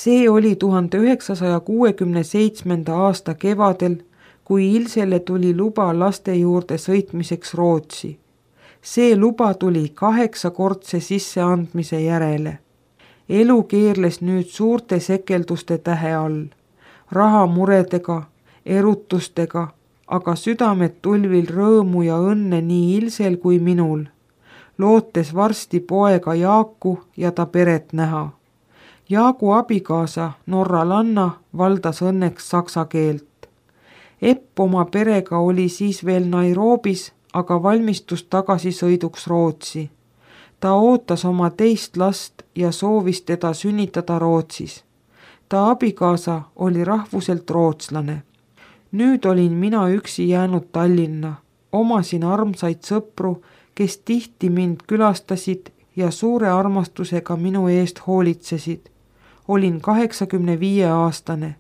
See oli 1967. aasta kevadel, kui Ilsele tuli luba laste juurde sõitmiseks Rootsi. See luba tuli 8-kordse sisseandmise järele. Elu keerles nüüd suurte sekelduste tähe all, rahamuredega, erutustega, aga südamed tulvil rõõmu ja õnne nii Ilsel kui minul, lootes varsti poega Jaaku ja ta peret näha. Jaagu abikaasa norralanna valdas õnneks saksa keelt. Epp oma perega oli siis veel Nairobis, aga valmistus tagasisõiduks Rootsi. Ta ootas oma teist last ja soovis teda sünnitada Rootsis. Ta abikaasa oli rahvuselt rootslane. Nüüd olin mina üksi jäänud Tallinna, omasin armsaid sõpru, kes tihti mind külastasid ja suure armastusega minu eest hoolitsesid. Olin 85-aastane.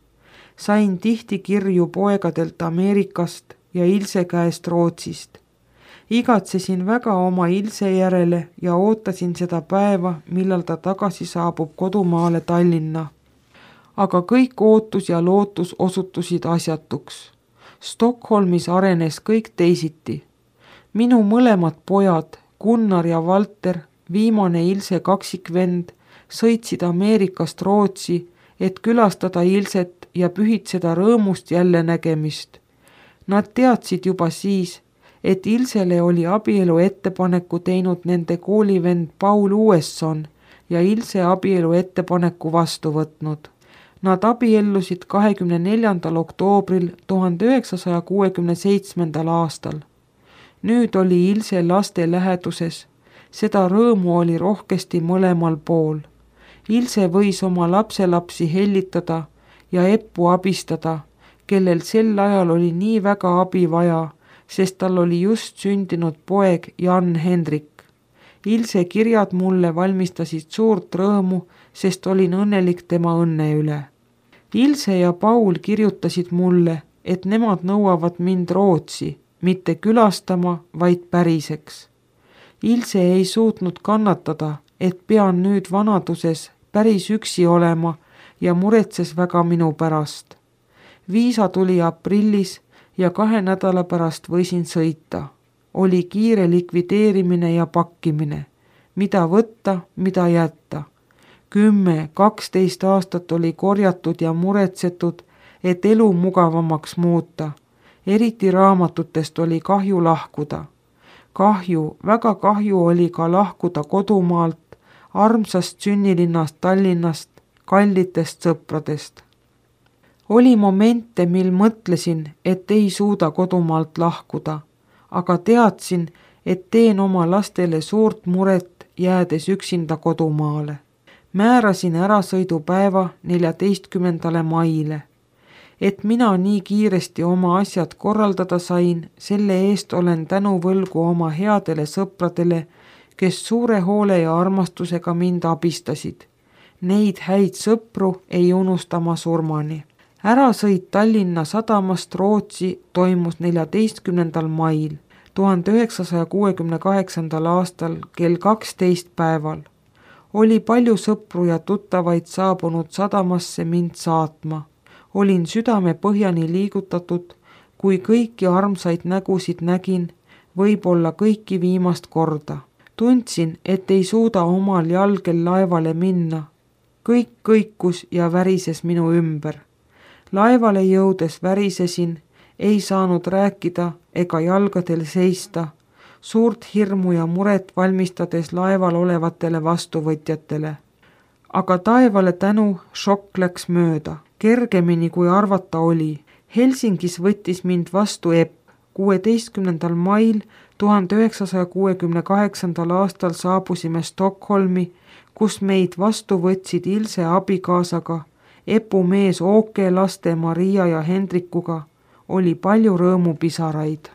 Sain tihti kirju poegadelt Ameerikast ja Ilse käest Rootsist. Igatsesin väga oma Ilse järele ja ootasin seda päeva, millal ta tagasi saabub kodumaale Tallinna. Aga kõik ootus ja lootus osutusid asjatuks. Stockholmis arenes kõik teisiti. Minu mõlemad pojad, Gunnar ja Valter, viimane Ilse kaksikvend, sõitsid Ameerikast Rootsi, et külastada Ilset ja pühitseda rõõmust jälle nägemist. Nad teadsid juba siis, et Ilsele oli abielu ettepaneku teinud nende koolivend Paul Uesson ja Ilse abielu ettepaneku vastu võtnud. Nad abiellusid 24. oktoobril 1967. aastal. Nüüd oli Ilse laste läheduses. Seda rõõmu oli rohkesti mõlemal pool. Ilse võis oma lapselapsi hellitada ja Eppu abistada, kellel sel ajal oli nii väga abi vaja, sest tal oli just sündinud poeg Jan Hendrik. Ilse kirjad mulle valmistasid suurt rõõmu, sest olin õnnelik tema õnne üle. Ilse ja Paul kirjutasid mulle, et nemad nõuavad mind Rootsi, mitte külastama, vaid päriseks. Ilse ei suutnud kannatada, et pean nüüd vanaduses päris üksi olema ja muretses väga minu pärast. Viisa tuli aprillis ja 2 nädala pärast võisin sõita. Oli kiire likvideerimine ja pakkimine. Mida võtta, mida jätta. 10-12 aastat oli korjatud ja muretsetud, et elu mugavamaks muuta. Eriti raamatutest oli kahju lahkuda. Kahju, väga kahju oli ka lahkuda kodumaalt, armsast sünnilinnast Tallinnast, kallitest sõpradest. Oli momente, mil mõtlesin, et ei suuda kodumaalt lahkuda, aga teadsin, et teen oma lastele suurt muret, jäädes üksinda kodumaale. Määrasin ärasõidupäeva 14. maile. Et mina nii kiiresti oma asjad korraldada sain, selle eest olen tänuvõlgu oma headele sõpradele, kes suure hoole ja armastusega mind abistasid. Neid häid sõpru ei unusta ma surmani. Ärasõit Tallinna sadamast Rootsi toimus 14. mail 1968. aastal kell 12 päeval. Oli palju sõpru ja tuttavaid saabunud sadamasse mind saatma. Olin südame põhjani liigutatud, kui kõiki armsaid nägusid nägin, võib-olla kõiki viimast korda. Tundsin, et ei suuda omal jalgel laevale minna. Kõik kõikus ja värises minu ümber. Laevale jõudes värisesin, ei saanud rääkida ega jalgadel seista, suurt hirmu ja muret valmistades laeval olevatele vastuvõtjatele. Aga taevale tänu šokk läks mööda, kergemini kui arvata oli. Helsingis võttis mind vastu Epp. 16. mail 1968. aastal saabusime Stockholmi, kus meid vastu võtsid Ilse abikaasaga, Epu mees Åke, laste Maria ja Hendrikuga. Oli palju rõõmupisaraid.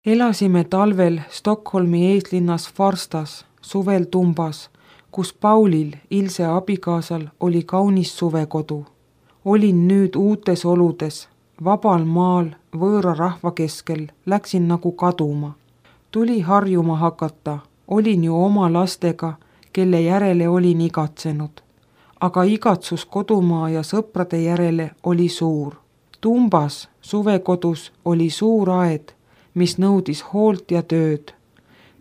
Elasime talvel Stockholmi eeslinnas Farstas, suvel Tumbas, kus Paulil, Ilse abikaasal, oli kaunis suvekodu. Olin nüüd uutes oludes, vabal maal, võõra rahva keskel, läksin nagu kaduma. Tuli harjuma hakata, olin ju oma lastega, kelle järele olin igatsenud. Aga igatsus kodumaa ja sõprade järele oli suur. Tumbas suvekodus oli suur aed, mis nõudis hoolt ja tööd.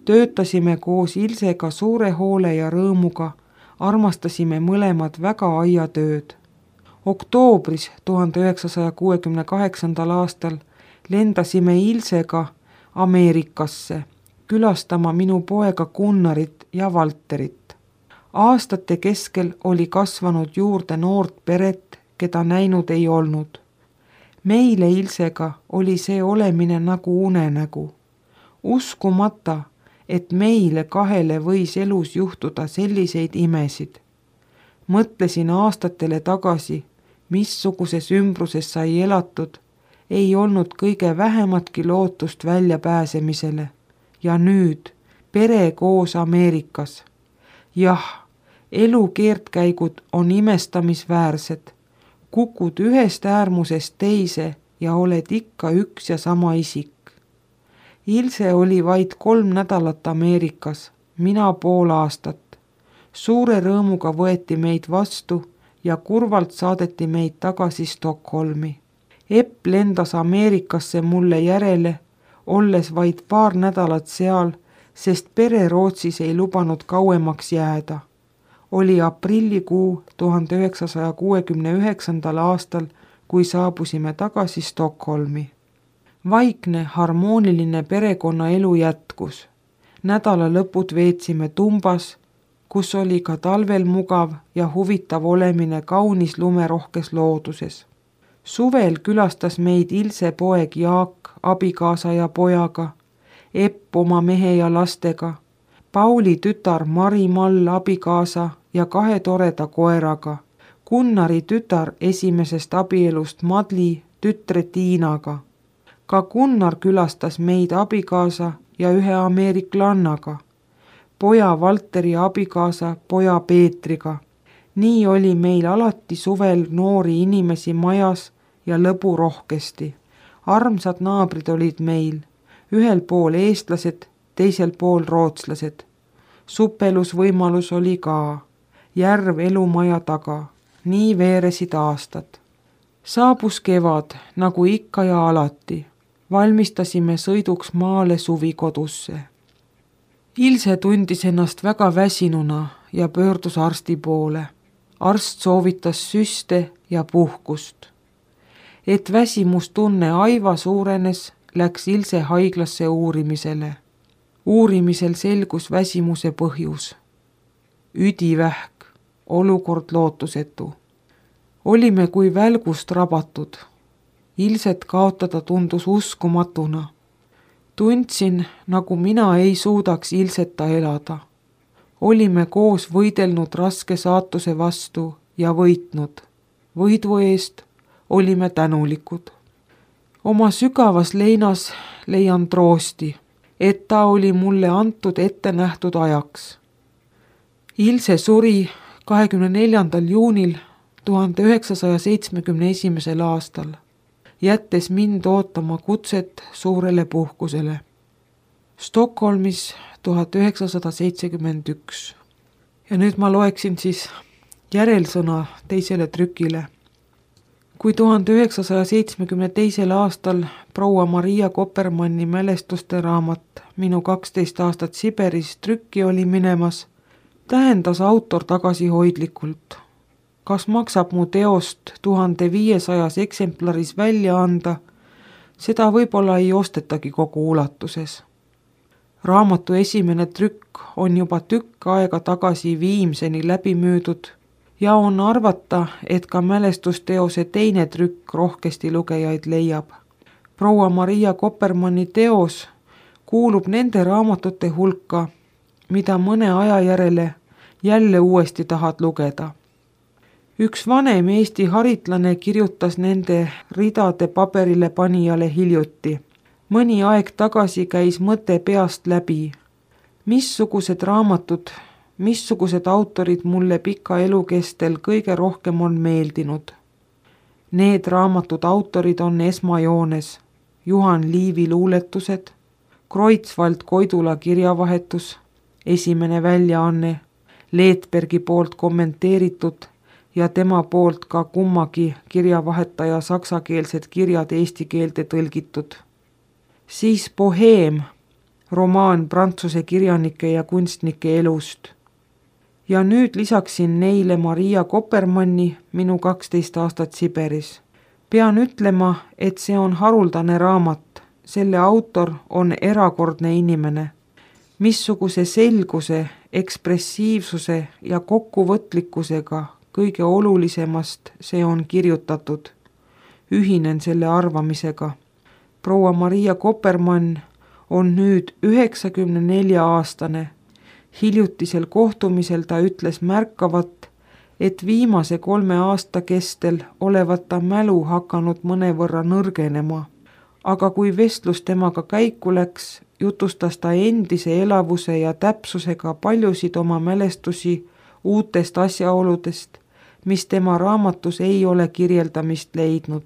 Töötasime koos Ilsega suure hoole ja rõõmuga, armastasime mõlemad väga aiatööd. Oktoobris 1968. aastal lendasime Ilsega Ameerikasse, külastama minu poega Gunnarit ja Valterit. Aastate keskel oli kasvanud juurde noort peret, keda näinud ei olnud. Meile Ilsega oli see olemine nagu unenägu. Uskumata, et meile kahele võis elus juhtuda selliseid imesid. Mõtlesin aastatele tagasi, missuguses ümbruses sai elatud, ei olnud kõige vähematki lootust väljapääsemisele. Ja nüüd pere koos Ameerikas. Jah, elu keerdkäigud on imestamisväärsed. Kukud ühest äärmusest teise ja oled ikka üks ja sama isik. Ilse oli vaid 3 nädalat Ameerikas, mina pool aastat. Suure rõõmuga võeti meid vastu ja kurvalt saadeti meid tagasi Stockholmi. Epp lendas Ameerikasse mulle järele, olles vaid paar nädalat seal, sest pere Rootsis ei lubanud kauemaks jääda. Oli aprillikuu 1969. aastal, kui saabusime tagasi Stockholmi. Vaikne, harmooniline perekonnaelu jätkus. Nädala lõpud veetsime Tumbas, kus oli ka talvel mugav ja huvitav olemine kaunis lumerohkes looduses. Suvel külastas meid Ilse poeg Jaak, abikaasa ja pojaga, Epp oma mehe ja lastega, Pauli tütar Mari-Mall abikaasa ja 2 toreda koeraga, Gunnari tütar esimesest abielust Madli tütre Tiinaga. Ka Gunnar külastas meid abikaasa ja 1 ameeriklannaga, poja Valteri abikaasa poja Peetriga. Nii oli meil alati suvel noori inimesi majas ja lõbu rohkesti. Armsad naabrid olid meil, ühel pool eestlased, teisel pool rootslased. Supelusvõimalus oli ka, järv elumaja taga, nii veeresid aastad. Saabus kevad, nagu ikka ja alati. Valmistasime sõiduks maale suvikodusse. Ilse tundis ennast väga väsinuna ja pöördus arsti poole. Arst soovitas süste ja puhkust. Et väsimustunne aiva suurenes, läks Ilse haiglasse uurimisele. Uurimisel selgus väsimuse põhjus. Üdivähk, olukord lootusetu. Olime kui välgust rabatud. Ilset kaotada tundus uskumatuna. Tundsin, nagu mina ei suudaks Ilseta elada. Olime koos võidelnud raske saatuse vastu ja võitnud. Võidu eest olime tänulikud. Oma sügavas leinas leian troosti, et ta oli mulle antud ette nähtud ajaks. Ilse suri 24. juunil 1971. aastal, jättes mind ootama kutset suurele puhkusele. Stockholmis 1971. Ja nüüd ma loeksin siis järelsõna teisele trükile. Kui 1972. aastal proua Maria Kopermanni mälestuste raamat Minu 12 aastat Siberis trükki oli minemas, tähendas autor tagasihoidlikult. Kas maksab mu teost 1500 eksemplaris välja anda, seda võib-olla ei ostetagi kogu ulatuses. Raamatu esimene trükk on juba tükk aega tagasi Viimseni läbi müüdud ja on arvata, et ka mälestusteose teine trükk rohkesti lugejaid leiab. Proua Maria Kopermanni teos kuulub nende raamatute hulka, mida mõne aja järele jälle uuesti tahad lugeda. Üks vanem Eesti haritlane kirjutas nende ridade paberile panijale hiljuti. Mõni aeg tagasi käis mõte peast läbi. Missugused raamatud, missugused autorid mulle pika elu kestel kõige rohkem on meeldinud. Need raamatud autorid on esmajoones Juhan Liivi luuletused, Kreutzwald Koidula kirjavahetus, esimene väljaanne, Leetbergi poolt kommenteeritud ja tema poolt ka kummagi kirjavahetaja saksakeelsed kirjad eesti keelde tõlgitud. Siis Boheem, romaan prantsuse kirjanike ja kunstnike elust. Ja nüüd lisaksin neile Maria Kopermanni Minu 12 aastat Siberis. Pean ütlema, et see on haruldane raamat, selle autor on erakordne inimene. Missuguse selguse, ekspressiivsuse ja kokkuvõtlikkusega kõige olulisemast see on kirjutatud. Ühinen selle arvamisega. Proua Maria Kopermann on nüüd 94-aastane. Hiljutisel kohtumisel ta ütles märkavat, et viimase 3 aasta kestel olevat ta mälu hakanud mõnevõrra nõrgenema. Aga kui vestlus temaga käiku läks, jutustas ta endise elavuse ja täpsusega paljusid oma mälestusi uutest asjaoludest, mis tema raamatus ei ole kirjeldamist leidnud.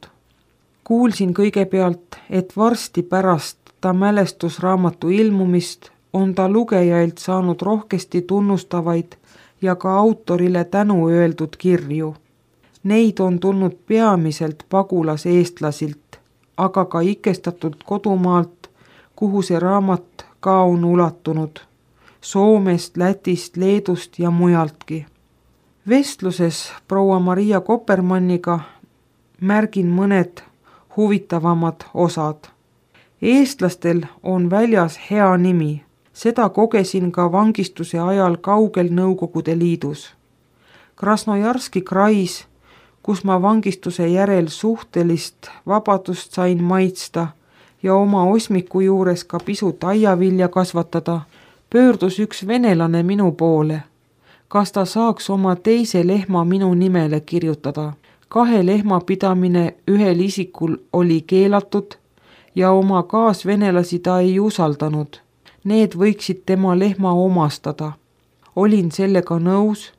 Kuulsin kõigepealt, et varsti pärast ta mälestusraamatu ilmumist on ta lugejailt saanud rohkesti tunnustavaid ja ka autorile tänu öeldud kirju. Neid on tulnud peamiselt pagulaseestlasilt, aga ka ikestatud kodumaalt, kuhu see raamat ka on ulatunud. Soomest, Lätist, Leedust ja mujaltki. Vestluses proua Maria Kopermanniga märgin mõned huvitavamad osad. Eestlastel on väljas hea nimi. Seda kogesin ka vangistuse ajal kaugel Nõukogude Liidus. Krasnojarski krais, kus ma vangistuse järel suhtelist vabadust sain maitsta ja oma osmiku juures ka pisut aiavilja kasvatada, pöördus üks venelane minu poole. Kas ta saaks oma teise lehma minu nimele kirjutada? 2 lehma pidamine ühel isikul oli keelatud ja oma kaasvenelasi ta ei usaldanud. Need võiksid tema lehma omastada. Olin sellega nõus.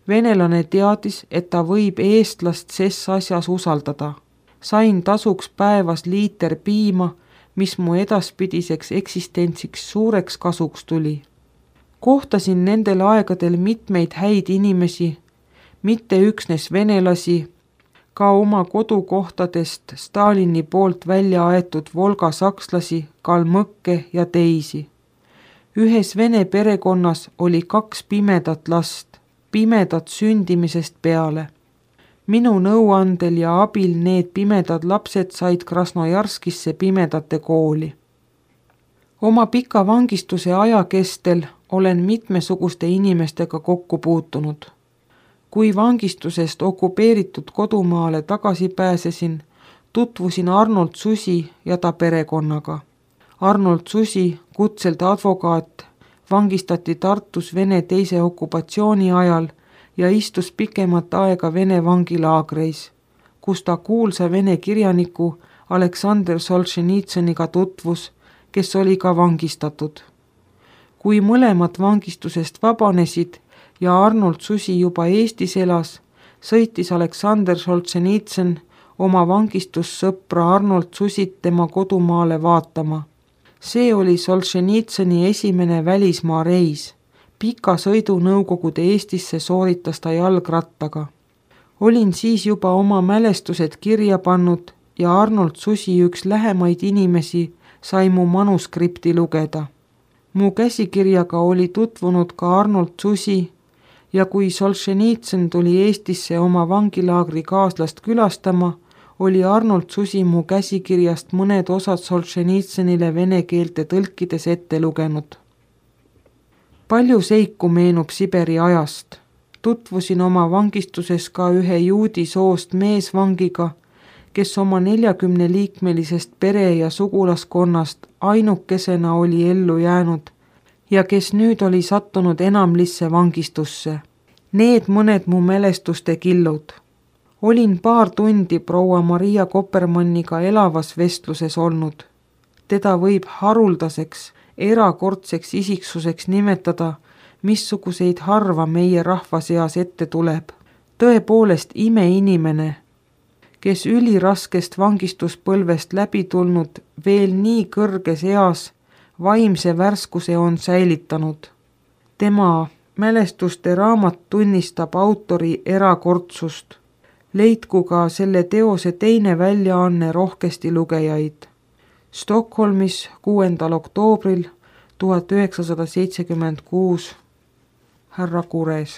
Venelane teadis, et ta võib eestlast ses asjas usaldada. Sain tasuks päevas liiter piima, mis mu edaspidiseks eksistentsiks suureks kasuks tuli. Kohtasin nendel aegadel mitmeid häid inimesi, mitte üksnes venelasi, ka oma kodukohtadest Stalini poolt välja aetud Volga sakslasi, kalmõkke ja teisi. Ühes vene perekonnas oli 2 pimedat last, pimedad sündimisest peale. Minu nõuandel ja abil need pimedad lapsed said Krasnojarskisse pimedate kooli. Oma pika vangistuse aja kestel olen mitmesuguste inimestega kokku puutunud. Kui vangistusest okupeeritud kodumaale tagasi pääsesin, tutvusin Arnold Susi ja ta perekonnaga. Arnold Susi, kutselt advokaat, vangistati Tartus Vene teise okupatsiooni ajal ja istus pikemat aega Vene vangilaagreis, kus ta kuulsa vene kirjaniku Aleksandr Solženitsõniga tutvus, kes oli ka vangistatud. Kui mõlemad vangistusest vabanesid ja Arnold Susi juba Eestis elas, sõitis Aleksandr Solženitsõn oma vangistussõpra Arnold Susit tema kodumaale vaatama. See oli Solženitsõni esimene välismaa reis. Pika sõidu Nõukogude Eestisse sooritas ta jalgrattaga. Olin siis juba oma mälestused kirja pannud ja Arnold Susi üks lähemaid inimesi sai mu manuskripti lugeda. Mu käsikirjaga oli tutvunud ka Arnold Susi ja kui Solženitsõn tuli Eestisse oma vangilaagri kaaslast külastama, oli Arnold Susi mu käsikirjast mõned osad Solženitsõnile vene keelte tõlkides ette lugenud. Palju seiku meenub Siberi ajast. Tutvusin oma vangistuses ka ühe juudi soost meesvangiga, kes oma 40-liikmelisest pere- ja sugulaskonnast ainukesena oli ellu jäänud ja kes nüüd oli sattunud enamlisse vangistusse. Need mõned mu mälestuste killud. Olin paar tundi proua Maria Kopermanniga elavas vestluses olnud. Teda võib haruldaseks, erakordseks isiksuseks nimetada, missuguseid harva meie rahva seas ette tuleb. Tõepoolest imeinimene, kes üliraskest vangistuspõlvest läbi tulnud veel nii kõrges eas vaimse värskuse on säilitanud. Tema mälestuste raamat tunnistab autori erakordsust. Leidku ka selle teose teine väljaanne rohkesti lugejaid. Stockholmis 6. oktoobril 1976 härra Kures.